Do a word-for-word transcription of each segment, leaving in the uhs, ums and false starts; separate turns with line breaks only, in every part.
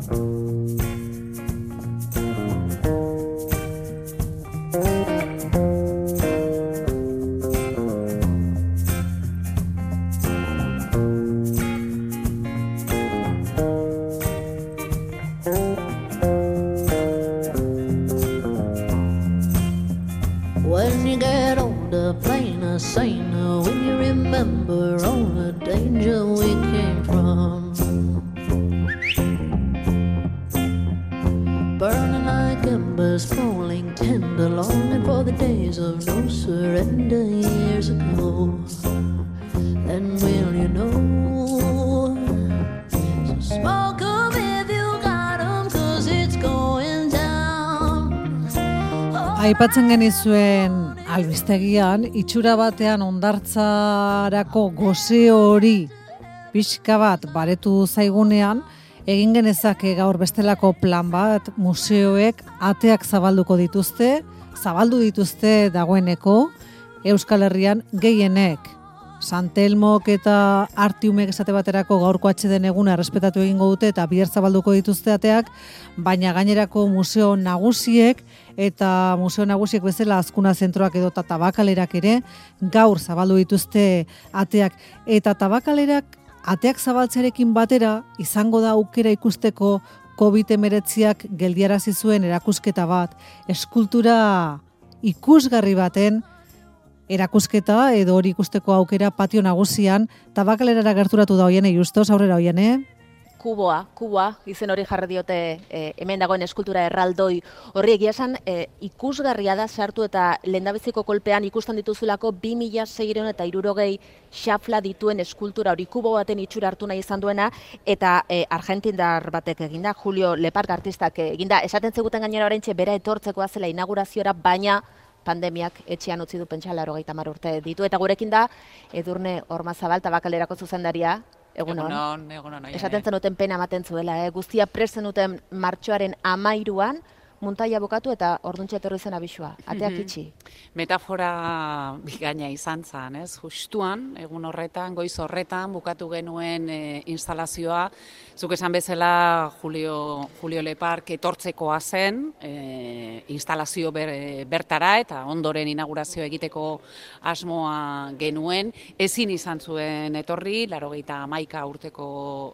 When you get older, plainer, saner, when you remember all the danger we came from. Burning like embers, falling tender, longing for the days of no surrender years ago. Then will you know? So smoke 'em if you got 'em, 'cause it's going down.
Aipatzen genizuen albistegian, itxura batean hondartzarako gozio hori pixka bat baretu zaigunean, egin genezake gaur bestelako plan bat, museoek ateak zabalduko dituzte, zabaldu dituzte dagoeneko, Euskal Herrian gehienek. Santelmok eta Artiumek esate baterako gaurko atxeden eguna errespetatu egingo dute eta bihar zabalduko dituzte ateak, baina gainerako museo nagusiek eta museo nagusiek bezala Azkuna zentroak edota Tabakalerak ere gaur zabaldu dituzte ateak. Eta Tabakalerak ateak zabaltzearekin batera izango da aukera ikusteko covid hemeretziak geldiarazi zuen erakusketa bat, eskultura ikusgarri baten erakusketa edo hori ikusteko aukera patio nagusian. Tabakalerara gerturatu da Oiane Justos, aurrera Oiane.
Kuboa, kuboa, izen hori jarri diote e, hemen dagoen eskultura erraldoi horri. Egia esan e, ikusgarria da sartu eta lehendabiziko kolpean ikusten dituzulako bi mila seiehun eta hirurogei xafla dituen eskultura hori, kubo baten itxura hartu nahi izan duena, eta e, argentindar batek eginda, Julio Lepark artistak eginda. Esaten zeguten gainera oraintxe bera etortzekoa zela inauguraziora, baina pandemiak etxean utzi du pentsa laurogeita hamar urte ditu. Eta gurekin da Edurne Ormazabal, Tabakalerako zuzendaria. Egunon,
egunon, egunon.
Esaten zenuten pena ematen zuela, eh? Guztia prest zenuten martxoaren amairuan, muntaia bukatu eta orduntxe etorri zen abisua. Ateak itxi.
Metafora bigaina izan zen, ez? Justuan, egun horretan, goiz horretan, bukatu genuen e, instalazioa. Zuk esan bezala Julio, Julio Lepark etortzekoa zen, e, instalazio ber, bertara eta ondoren inaugurazio egiteko asmoa genuen. Ezin izan zuen etorri, laurogeita hamaika urteko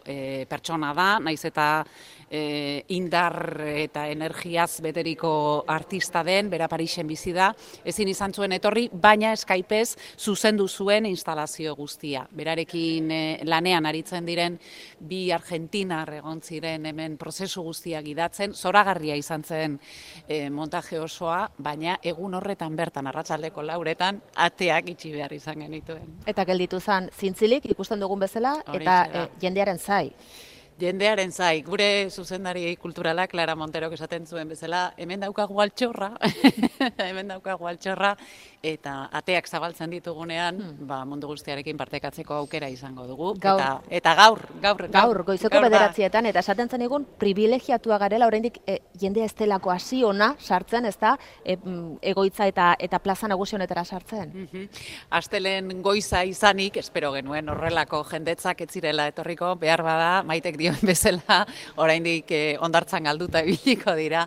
e, pertsona da, naiz eta e, indar eta energiaz beteriko artista den, bera Parisen bizi da, ezin izan zuen etorri, baina Skypez zuzendu zuen instalazio guztia. Berarekin e, lanean aritzen diren bi argentinar egon ziren hemen prozesu guztiak idatzen, zoragarria izan zen e, montaje osoa, baina egun horretan bertan, arratsaldeko lauretan, ateak itxi behar izan genituen.
Eta gelditu zen zintzilik, ikusten dugun bezala, eta e, jendearen zai.
Jendearen zai, gure zuzendari kulturala, Clara Monterok esaten zuen bezala, hemen daukagu altxorra, hemen daukagu altxorra, eta ateak zabaltzen ditugunean, hmm. ba, mundu guztiarekin partekatzeko aukera izango dugu.
Gaur.
Eta, eta gaur, gaur, gaur.
Gaur, goizeko gaur bederatzietan, eta esaten zen egun, privilegiatua garela, oraindik e, jendea ez delako hasi ona sartzen, ez da, e, egoitza eta, eta plaza nagusi honetara sartzen.
Mm-hmm. Astelen goiza izanik, espero genuen horrelako jendetzak ez zirela etorriko, behar bada, Maitek dio bezala, oraindik eh, ondartzan galduta ibiliko dira,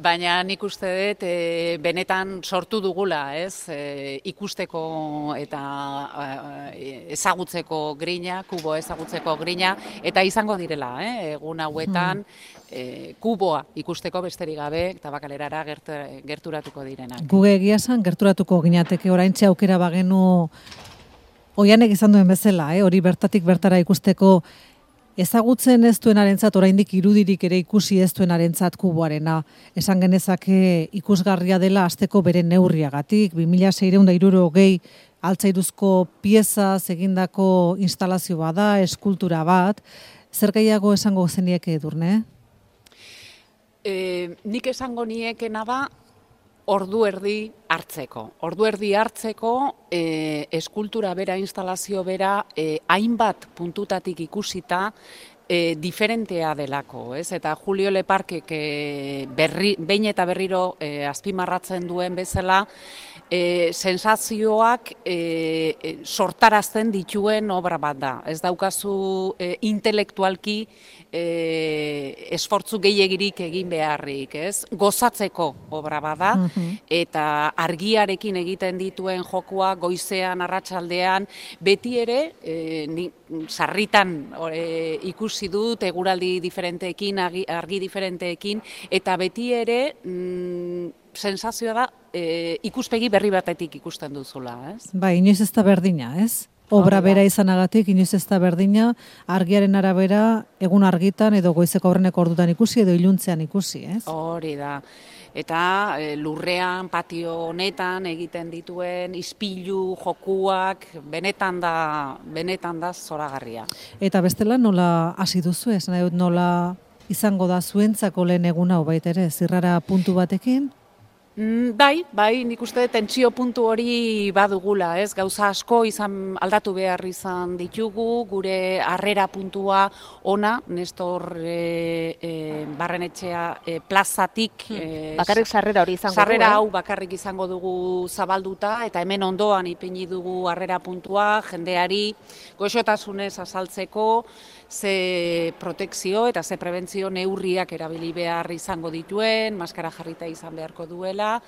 baina nik uste dut e, benetan sortu dugula, ez, e, ikusteko eta e, ezagutzeko grina, kubo ezagutzeko grina, eta izango direla, eh, egun hauetan, e, kuboa ikusteko besterik gabe, Tabakalerara gert, gerturatuko direnak.
Guge egia esan gerturatuko ginateke oraintxe aukera bagenu Oianek izan duen bezala, eh, hori bertatik bertara ikusteko. Ezagutzen ez duenarentzat, oraindik irudirik ere ikusi ez duenarentzat kuboarena. Esan genezake ikusgarria dela asteko bere neurriagatik, bi mila seiehun eta hirurogei altzairuzko pieza egindako instalazio bada, eskultura bat. Zer gehiago esango zenieke, Edurne?
E, nik esango niekena da, ordu erdi hartzeko. Ordu erdi hartzeko e, eskultura bera, instalazio bera, e, hainbat puntutatik ikusita e, diferentea delako, ez? Eta Julio Leparkek e, berri, behin eta berriro e, azpimarratzen duen bezala, E, sensazioak e, e, sortarazten dituen obra bat da. Ez daukazu e, intelektualki e, esfortzu gehiagirik egin beharrik, ez? Gozatzeko obra bada, eta argiarekin egiten dituen jokua goizean, arratsaldean, beti ere, e, ni, sarritan e, ikusi dut, eguraldi diferenteekin, argi, argi diferenteekin, eta beti ere, mm, sensazioa da, e, ikuspegi berri batetik ikusten duzula, ez?
Bai, inoiz ez da berdina, ez? Obra bera izanagatik, inoiz ez da berdina, argiaren arabera, egun argitan edo goizeko aurreneko ordutan ikusi edo iluntzean ikusi, ez?
Hori da. Eta e, lurrean, patio honetan egiten dituen ispilu jokuak benetan da, benetan da zoragarria.
Eta bestela nola hasi duzu ez? Nahi dut nola izango da zuentzako lehen eguna hau baita ere, zirrara puntu batekin?
Mm, bai, bai, nik uste tentsio puntu hori badugula, ez? Gauza asko izan aldatu behar izan ditugu, gure harrera puntua ona, Nestor e, e, Barrenetxea e, plazatik.
Hmm. Bakarrik sarrera hori izango
sarrera
du, eh?
hau bakarrik izango dugu zabalduta, eta hemen ondoan ipini dugu harrera puntua, jendeari goxotasunez azaltzeko, ze protekzio eta ze prebentzio neurriak erabili behar izango dituen, maskara jarrita izan beharko duela,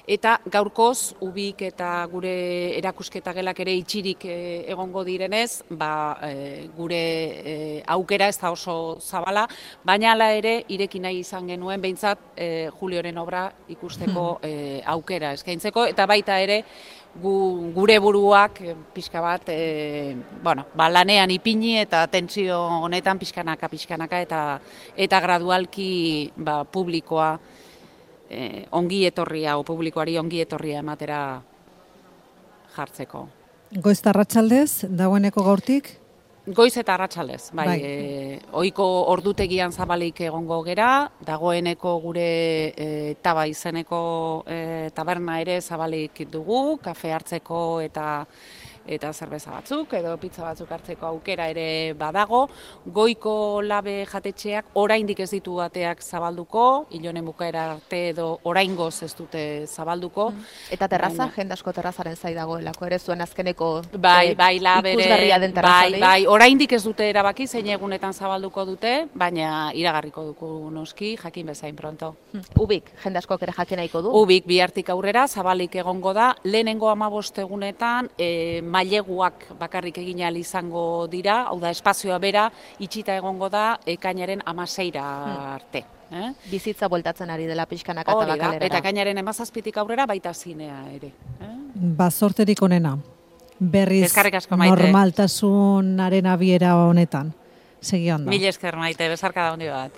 eta gaurkoz ubik eta gure erakusketa gelak ere itxirik e, egongo direnez, ba, e, gure e, aukera ez da oso zabala, baina hala ere ireki nahi izan genuen behintzat e, Julioren obra ikusteko e, aukera eskaintzeko, eta baita ere gu, gure buruak e, pixka bat e, bueno, ba, lanean ipini eta tentsio honetan pixkanaka pixkanaka eta eta gradualki ba, publikoa Eh, ongi etorria, o publikoari ongi etorria ematera jartzeko.
Goiz eta arratsaldez, dagoeneko gaurtik?
Goiz eta arratsaldez, bai.
bai.
E, ohiko ordutegian zabalik egongo gera, dagoeneko gure e, taba izeneko e, taberna ere zabalik dugu, kafe hartzeko eta eta zerbeza batzuk, edo pizza batzuk hartzeko aukera ere badago. Goiko labe jatetxeak oraindik ez ditu ateak zabalduko, ilonen bukaera arte edo oraingoz ez dute zabalduko.
Eta terraza, baina, jende asko terrazaren zai dagoelako, ere zuen azkeneko
bai, bai, labere,
ikusgarria den terraza.
Bai, bai, oraindik ez dute erabaki zein egunetan zabalduko dute, baina iragarriko dugu noski, jakin bezain pronto.
Ubik, jende askok ere jakin nahiko du?
Ubik, bihartik aurrera, zabalik egongo da, lehenengo hamabost egunetan, e, maileguak bakarrik egin ahal izango dira, hau da, espazioa bera, itxita egongo da, ekainaren hamaseira arte. Eh?
Bizitza bueltatzen ari dela pixkanaka eta bakalerara.
Eta ekainaren hamazazpitik aurrera baita zinea ere. Eh?
Bazorterik onena, berriz
asko, Maite.
Normaltasunaren abiera honetan. Segi ondo.
Mil esker, Maite, besarka da hondi bat.